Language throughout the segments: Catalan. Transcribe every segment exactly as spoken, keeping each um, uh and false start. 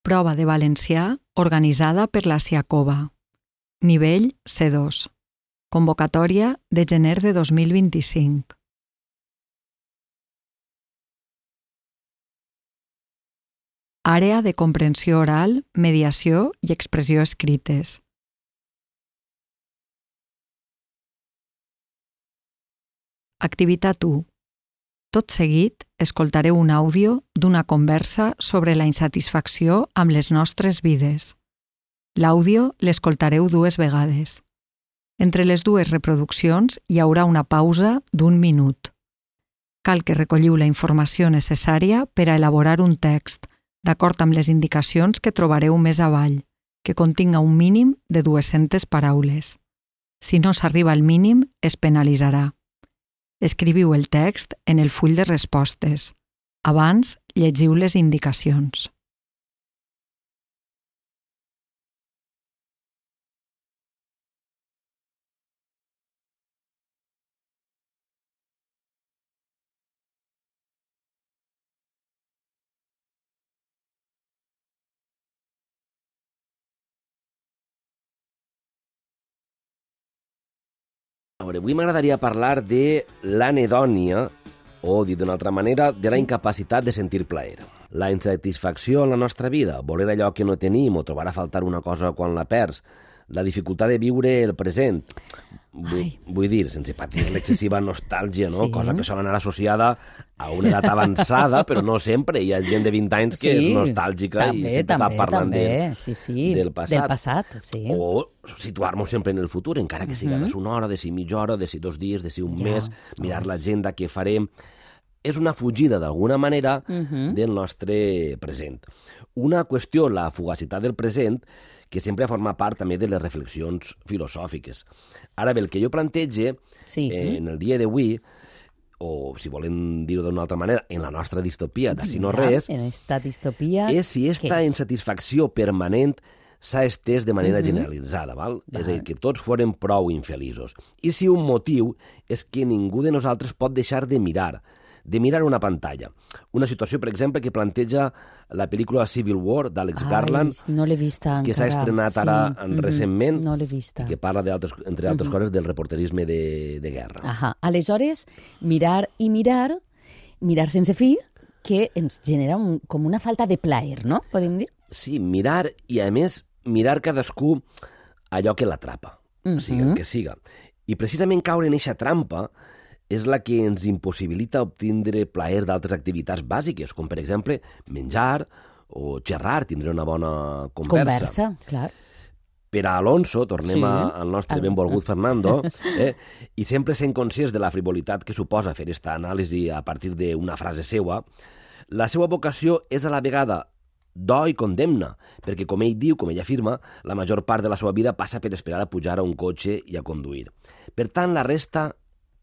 Prova de valencià organitzada per la Siacova. Nivell C dos. Convocatòria de gener de dos mil vint-i-cinc. Àrea de comprensió oral, mediació i expressió escrites. Activitat u. Tot seguit, escoltareu un àudio d'una conversa sobre la insatisfacció amb les nostres vides. L'àudio l'escoltareu dues vegades. Entre les dues reproduccions hi haurà una pausa d'un minut. Cal que recolliu la informació necessària per a elaborar un text, d'acord amb les indicacions que trobareu més avall, que continga un mínim de dues-centes paraules. Si no s'arriba al mínim, es penalitzarà. Escriviu el text en el full de respostes. Abans, llegiu les indicacions. Avui m'agradaria parlar de l'anhedònia, o, dit d'una altra manera, de la incapacitat de sentir plaer. La insatisfacció en la nostra vida, voler allò que no tenim o trobar a faltar una cosa quan la perds, la dificultat de viure el present. Vull, vull dir, sense patir l'excessiva nostàlgia, no? Sí. Cosa que sol anar associada a una edat avançada, però no sempre. Hi ha gent de vint anys que sí, és nostàlgica també, i sempre també, està parlant també. De, sí, sí. del passat. Del passat sí. O situar-nos sempre en el futur, encara que siga uh-huh. de si una hora, de si mitja hora, de si dos dies, de si un ja. mes, mirar oh. l'agenda, què farem. És una fugida, d'alguna manera, uh-huh. del nostre present. Una qüestió, la fugacitat del present, que sempre forma part també de les reflexions filosòfiques. Ara bé, el que jo plantege sí. eh, en el dia d'avui, o si volem dir-ho d'una altra manera, en la nostra distopia d'Ací no res, en esta distopia, és si aquesta insatisfacció permanent s'ha estès de manera uh-huh. generalitzada, val? val? És a dir, que tots foren prou infeliços. I si un motiu és que ningú de nosaltres pot deixar de mirar, de mirar una pantalla. Una situació, per exemple, que planteja la pel·lícula Civil War d'Àlex Garland, no l'he vista encara. Que s'ha estrenat ara sí. en, recentment, no l'he vista. I que parla, entre altres uh-huh. coses, del reporterisme de, de guerra. Ahà. Aleshores, mirar i mirar, mirar sense fi, que ens genera un, com una falta de plaer, no? Podem dir? Sí, mirar i, a més, mirar cadascú allò que l'atrapa, uh-huh. sigui el que siga. I precisament caure en eixa trampa és la que ens impossibilita obtindre plaer d'altres activitats bàsiques, com, per exemple, menjar o xerrar, tindre una bona conversa. Conversa, clar. Per a Alonso, tornem sí. al nostre benvolgut Fernando, eh, i sempre sent conscients de la frivolitat que suposa fer aquesta anàlisi a partir d'una frase seua, la seva vocació és a la vegada do i condemna, perquè, com ell diu, com ell afirma, la major part de la seva vida passa per esperar a pujar a un cotxe i a conduir. Per tant, la resta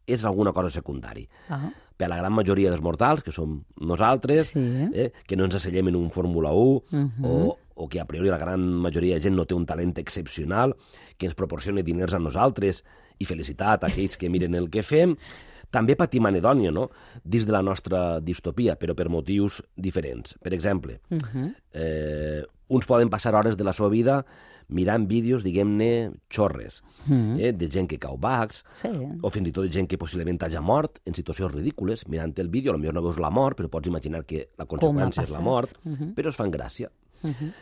és alguna cosa secundari. Uh-huh. Per a la gran majoria dels mortals, que som nosaltres, sí. eh, que no ens asseiem en un Fórmula u, uh-huh. o, o que a priori la gran majoria de gent no té un talent excepcional, que ens proporciona diners a nosaltres i felicitat a aquells que miren el que fem, també patim anhedònia, no?, dins de la nostra distopia, però per motius diferents. Per exemple, uh-huh. eh, uns poden passar hores de la seva vida mirant vídeos, diguem-ne, xorres, mm. eh, de gent que cau bacs, sí. o fins i tot de gent que possiblement hagi mort en situacions ridícules, mirant el vídeo, potser no veus la mort, però pots imaginar que la conseqüència és la mort, uh-huh. però es fan gràcia. Uh-huh.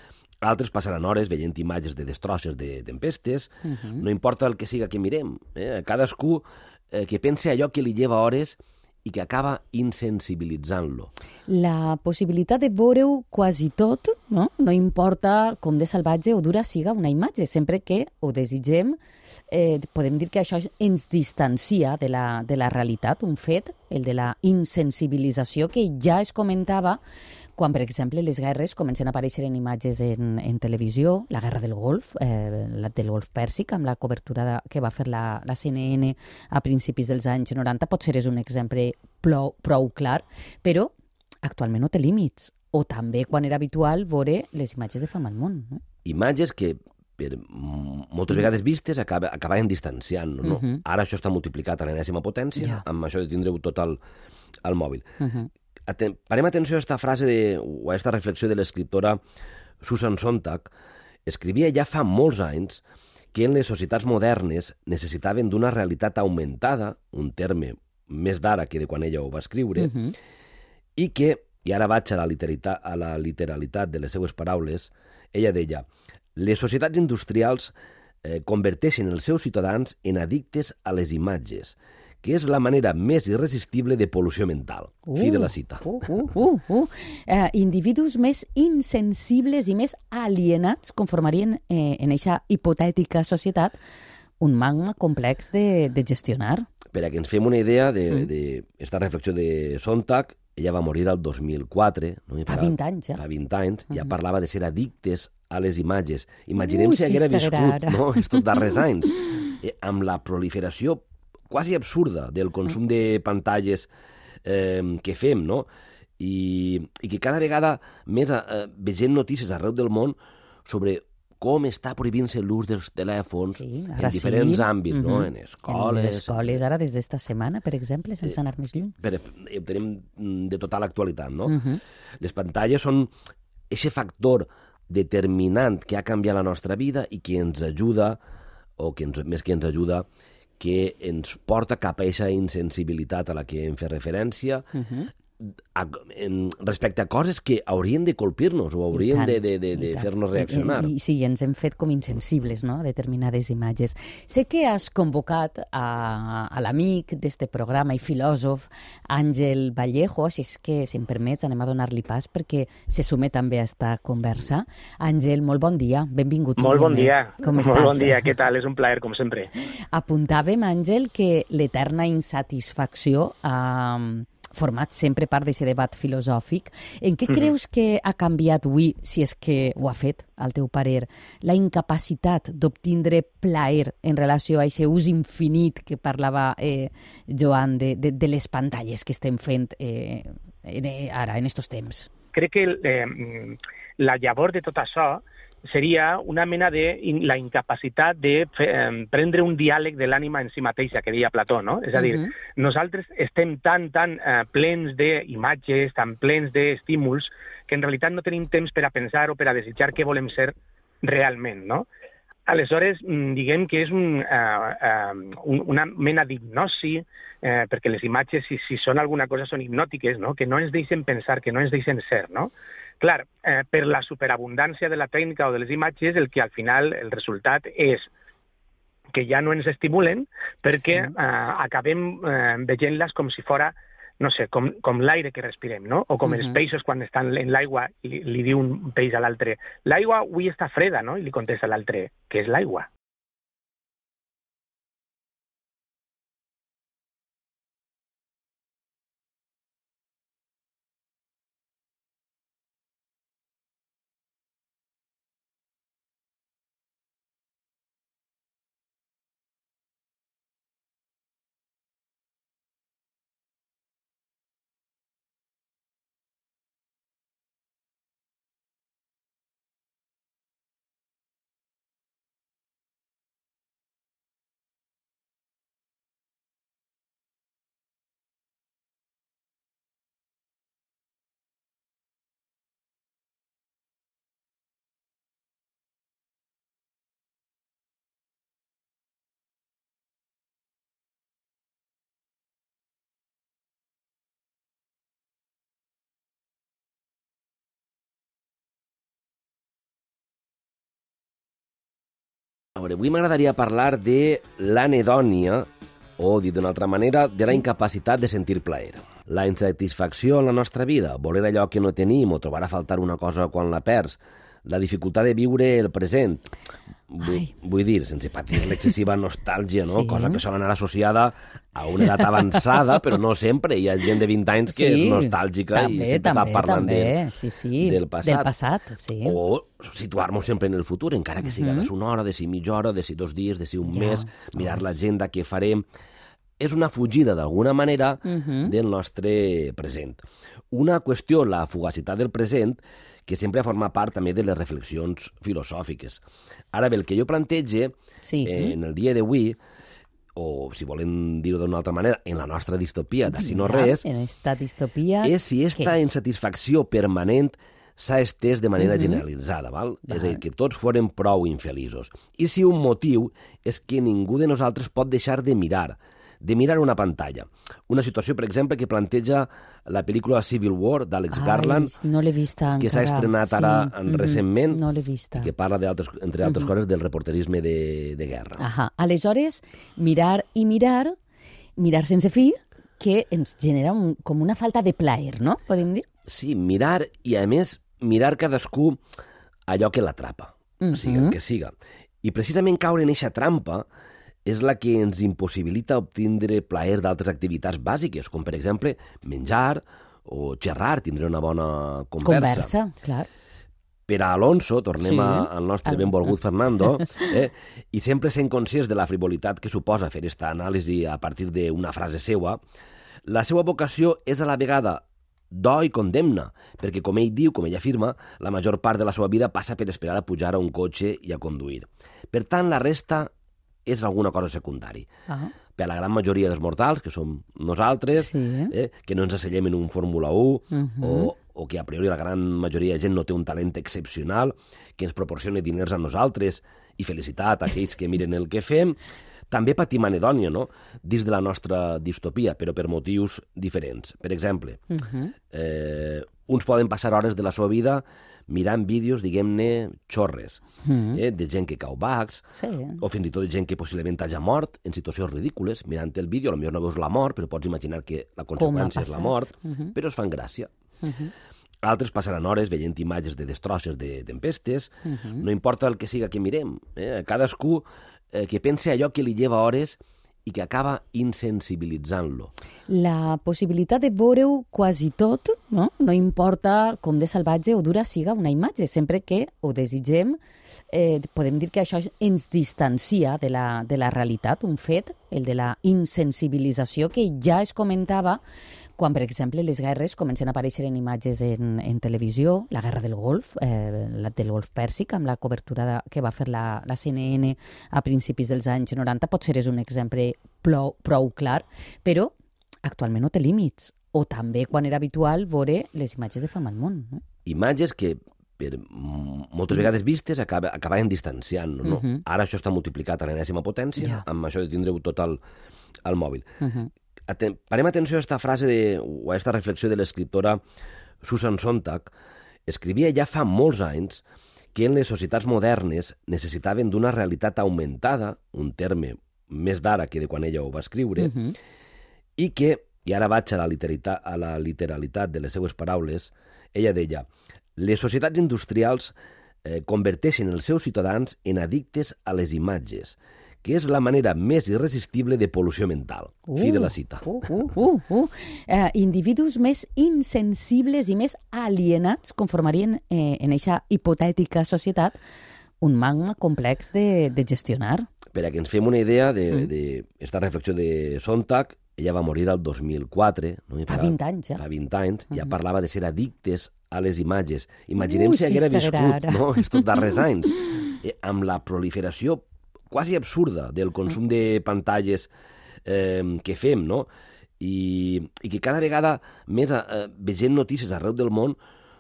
Altres passaran hores veient imatges de destrosses de tempestes, uh-huh. no importa el que siga que mirem, eh? cadascú eh, que pense allò que li lleva hores i que acaba insensibilitzant-lo. La possibilitat de veure-ho quasi tot, no? No importa com de salvatge o dura siga una imatge, sempre que ho desitgem, eh, podem dir que això ens distancia de la, de la realitat, un fet, el de la insensibilització que ja es comentava quan, per exemple, les guerres comencen a aparèixer en imatges en, en televisió, la guerra del Golf, eh, la del Golf Pèrsic, amb la cobertura de, que va fer la, la C N N a principis dels anys noranta, potser és un exemple prou, prou clar, però actualment no té límits. O també, quan era habitual, veure les imatges de fam al món. No? Imatges que, per moltes vegades vistes, acaba, acabaven distanciant. No? Uh-huh. Ara això està multiplicat a l'enèsima potència, yeah. amb això de tindre-ho tot al, al mòbil. Uh-huh. Aten- parem atenció a aquesta frase de, o a aquesta reflexió de l'escriptora Susan Sontag, escrivia ja fa molts anys que en les societats modernes necessitaven d'una realitat augmentada, un terme més d'ara que de quan ella ho va escriure, uh-huh. i que, i ara vaig a la, literalitat, a la literalitat de les seues paraules, ella deia, les societats industrials eh, converteixen els seus ciutadans en addictes a les imatges, que és la manera més irresistible de pol·lució mental. Uh, Fi de la cita. Uh, uh, uh, uh. Uh, individus més insensibles i més alienats conformarien eh, en aquesta hipotètica societat un magma complex de, de gestionar. Per a que ens fem una idea d'esta mm. reflexió de Sontag, ella va morir el dos mil quatre. No? Fa vint anys, ja. Fa vint anys, mm. ja parlava de ser addictes a les imatges. Imaginem uh, si haguera viscut no? estos darrers anys, eh, amb la proliferació quasi absurda del consum de pantalles eh, que fem, no? I, i que cada vegada més eh, vegem notícies arreu del món sobre com està prohibint-se l'ús dels telèfons sí, en diferents sí. àmbits, mm-hmm. no? En escoles... En les escoles, ara, des d'esta setmana, per exemple, sense eh, anar més lluny. Per, ho tenim de total actualitat, no? Mm-hmm. Les pantalles són aquest factor determinant que ha canviat la nostra vida i que ens ajuda, o que ens, més que ens ajuda, que ens porta cap a aquesta insensibilitat a la que hem fet referència, uh-huh. a, en, respecte a coses que haurien de colpir-nos o haurien tant, de, de, de, de fer-nos reaccionar. I, i, sí, ens hem fet com insensibles, no?, a determinades imatges. Sé que has convocat a, a l'amic d'este programa i filòsof Àngel Vallejo, si és que, si em permets, anem a donar-li pas perquè se sume també a esta conversa. Àngel, molt bon dia, benvingut. Molt bon dia. Com molt estàs? Bon dia, què tal? És un plaer, com sempre. Apuntàvem, Àngel, que l'eterna insatisfacció ha format sempre part d'aquest debat filosòfic. En què mm-hmm. creus que ha canviat avui, si és que ho ha fet, al teu parer, la incapacitat d'obtindre plaer en relació a aquest ús infinit que parlava eh, Joan de, de, de les pantalles que estem fent eh, ara, en estos temps? Crec que eh, la llavor de tot això seria una mena de in, la incapacitat de fe, eh, prendre un diàleg de l'ànima en si mateixa, que deia Plató, no? És a dir, uh-huh. nosaltres estem tan, tan eh, plens d'imatges, tan plens d'estímuls, que en realitat no tenim temps per a pensar o per a desitjar què volem ser realment, no? Aleshores, diguem que és un, uh, uh, una mena d'hipnosi, eh, perquè les imatges, si, si són alguna cosa, són hipnòtiques, no? Que no ens deixen pensar, que no ens deixen ser, no? Clar, eh, per la superabundància de la tècnica o de les imatges, el que al final el resultat és que ja no ens estimulen perquè sí. eh, acabem eh, veient-les com si fora, no sé, com, com l'aire que respirem, no? O com uh-huh. els peixos quan estan en l'aigua i li, li diu un peix a l'altre, l'aigua avui està freda, no? I li contesta l'altre, què és l'aigua? A veure, avui m'agradaria parlar de l'anedònia, o, dit d'una altra manera, de la sí. incapacitat de sentir plaer. La insatisfacció en la nostra vida, voler allò que no tenim o trobar a faltar una cosa quan la perds, la dificultat de viure el present. Vull, vull dir, sense patir l'excessiva nostàlgia, no? Sí. Cosa que sol anar associada a una edat avançada, però no sempre. Hi ha gent de vint anys que sí, és nostàlgica també, i sempre també, està parlant també. De, sí, sí. del passat. Del passat sí. O situar-nos sempre en el futur, encara que siga uh-huh. de si una hora, de si mitja hora, de si dos dies, de si un ja. mes, mirar oh. l'agenda que farem. És una fugida, d'alguna manera, uh-huh. del nostre present. Una qüestió, la fugacitat del present, que sempre forma part també de les reflexions filosòfiques. Ara bé, el que jo plantege sí. eh, en el dia d'avui, o si volem dir-ho d'una altra manera, en la nostra distopia de Si no res, en esta distopia, és si esta insatisfacció permanent s'ha estès de manera uh-huh. generalitzada, val? val? És a dir, que tots foren prou infeliços. I si un motiu és que ningú de nosaltres pot deixar de mirar, de mirar una pantalla. Una situació, per exemple, que planteja la pel·lícula Civil War d'Àlex Garland, no l'he vista que s'ha estrenat ara sí. en, recentment, no l'he vista. I que parla, entre altres uh-huh. coses, del reporterisme de, de guerra. Ahà. Aleshores, mirar i mirar, mirar sense fi, que ens genera un, com una falta de plaer, no? Podem dir? Sí, mirar, i a més, mirar cadascú allò que l'atrapa, uh-huh. sigui el que siga. I precisament caure en eixa trampa és la que ens impossibilita obtindre plaer d'altres activitats bàsiques, com per exemple menjar o xerrar, tindre una bona conversa. Conversa, clar. Per a Alonso, tornem sí. al nostre benvolgut Fernando, eh, i sempre sent conscients de la frivolitat que suposa fer aquesta anàlisi a partir d'una frase seua, la seva vocació és a la vegada do i condemna, perquè, com ell diu, com ell afirma, la major part de la seva vida passa per esperar a pujar a un cotxe i a conduir. Per tant, la resta és alguna cosa secundari. Uh-huh. Per a la gran majoria dels mortals, que som nosaltres, sí. eh, que no ens assellem en un Fórmula u, uh-huh. o, o que a priori la gran majoria de gent no té un talent excepcional, que ens proporciona diners a nosaltres i felicitat a aquells que miren el que fem, també patim anedònia, no?, dins de la nostra distopia, però per motius diferents. Per exemple, uh-huh. eh, uns poden passar hores de la seva vida mirant vídeos, diguem-ne, xorres, mm. eh, de gent que cau bacs, sí. o fins i tot de gent que possiblement hagi mort en situacions ridícules, mirant el vídeo, potser no veus la mort, però pots imaginar que la conseqüència és la mort, uh-huh. però es fan gràcia. Uh-huh. Altres passaran hores veient imatges de destrosses de tempestes, uh-huh. no importa el que siga que mirem, eh? Cadascú eh, que pense allò que li lleva hores i que acaba insensibilitzant-lo. La possibilitat de veure-ho quasi tot, no? No importa com de salvatge o dura siga una imatge, sempre que ho desitgem, eh, podem dir que això ens distancia de la, de la realitat, un fet, el de la insensibilització, que ja es comentava quan, per exemple, les guerres comencen a aparèixer en imatges en, en televisió, la guerra del Golf, eh, la del Golf Pèrsic, amb la cobertura de, que va fer la, la C N N a principis dels anys noranta, potser és un exemple prou, prou clar, però actualment no té límits. O també, quan era habitual, veure les imatges de fam al món. No? Imatges que, per moltes vegades vistes, acaba, acabaven distanciant. No? Uh-huh. Ara això està multiplicat a l'enèsima potència, yeah. amb això de tindre-ho tot al, al mòbil. Uh-huh. Aten- parem atenció a aquesta frase de, o a aquesta reflexió de l'escriptora Susan Sontag. Escrivia ja fa molts anys que en les societats modernes necessitaven d'una realitat augmentada, un terme més d'ara que de quan ella ho va escriure, uh-huh. i que, i ara vaig a la, literalitat, a la literalitat de les seues paraules, ella deia: les societats industrials eh, converteixen els seus ciutadans en addictes a les imatges, que és la manera més irresistible de pol·lució mental. Uh, Fi de la cita. Uh, uh, uh, uh. Uh, individus més insensibles i més alienats conformarien eh, en aquesta hipotètica societat un magma complex de, de gestionar. Per a que ens fem una idea d'esta mm. reflexió de Sontag, ella va morir el dos mil quatre. No? Fa vint anys, ja. Fa vint anys, uh-huh. ja parlava de ser addictes a les imatges. Imaginem uh, si haguera viscut no? estos darrers anys, eh, amb la proliferació quasi absurda del consum de pantalles eh, que fem, no? I, i que cada vegada més eh, vegem notícies arreu del món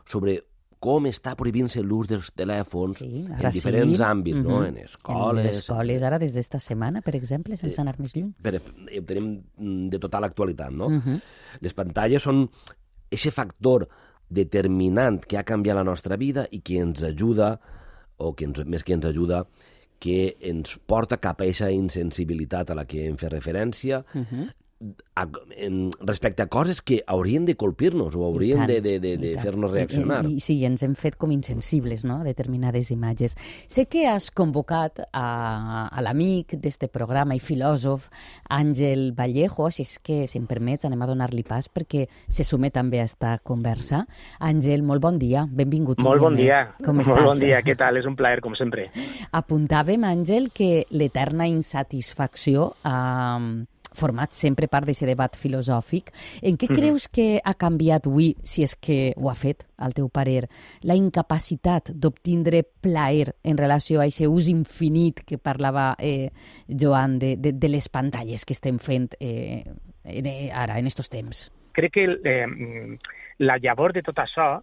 sobre com està prohibint-se l'ús dels telèfons sí, en diferents sí. àmbits, mm-hmm. no? En escoles... En les escoles, ara, des d'esta setmana, per exemple, sense anar més lluny. Per, ho tenim de total actualitat, no? Mm-hmm. Les pantalles són aquest factor determinant que ha canviat la nostra vida i que ens ajuda, o que ens, més que ens ajuda, que ens porta cap a aquesta insensibilitat a la que hem fet referència, uh-huh. a, en, respecte a coses que haurien de colpir-nos o haurien tant, de, de, de, de fer-nos reaccionar. I, i, sí, ens hem fet com insensibles, no?, a determinades imatges. Sé que has convocat a, a l'amic d'este programa i filòsof Àngel Vallejo, així és que, si em permets, anem a donar-li pas perquè se sume també a esta conversa. Àngel, molt bon dia, benvingut. Molt bon dia. Com estàs? Molt bon dia, què tal? És un plaer, com sempre. Apuntàvem, Àngel, que l'eterna insatisfacció ha format sempre part d'aquest debat filosòfic. En què creus que ha canviat avui, si és que ho ha fet, al teu parer, la incapacitat d'obtindre plaer en relació a aquest ús infinit que parlava eh, Joan de, de, de les pantalles que estem fent eh, ara, en estos temps? Crec que eh, la llavor de tot això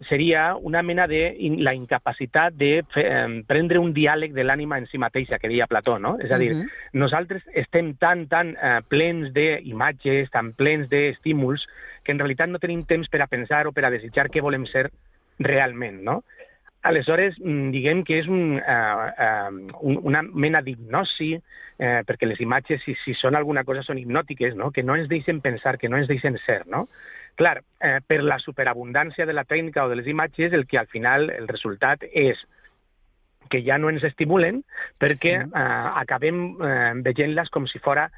seria una mena de in, la incapacitat de fe, eh, prendre un diàleg de l'ànima en si mateixa, que deia Plató, no? És a dir, uh -huh. nosaltres estem tan, tan eh, plens d'imatges, tan plens d'estímuls, que en realitat no tenim temps per a pensar o per a desitjar què volem ser realment, no? Aleshores, diguem que és un, uh, uh, una mena d'hipnosi, eh, perquè les imatges, si, si són alguna cosa, són hipnòtiques, no? Que no ens deixen pensar, que no ens deixen ser, no? Clar, eh, per la superabundància de la tècnica o de les imatges, el que al final el resultat és que ja no ens estimulen perquè sí. eh, acabem eh, veient-les com si fora,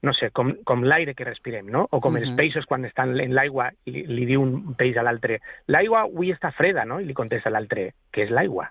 no sé, com, com l'aire que respirem, no? O com uh -huh. els peixos quan estan en l'aigua i li, li diu un peix a l'altre, l'aigua avui està freda, no? I li contesta l'altre, què és l'aigua?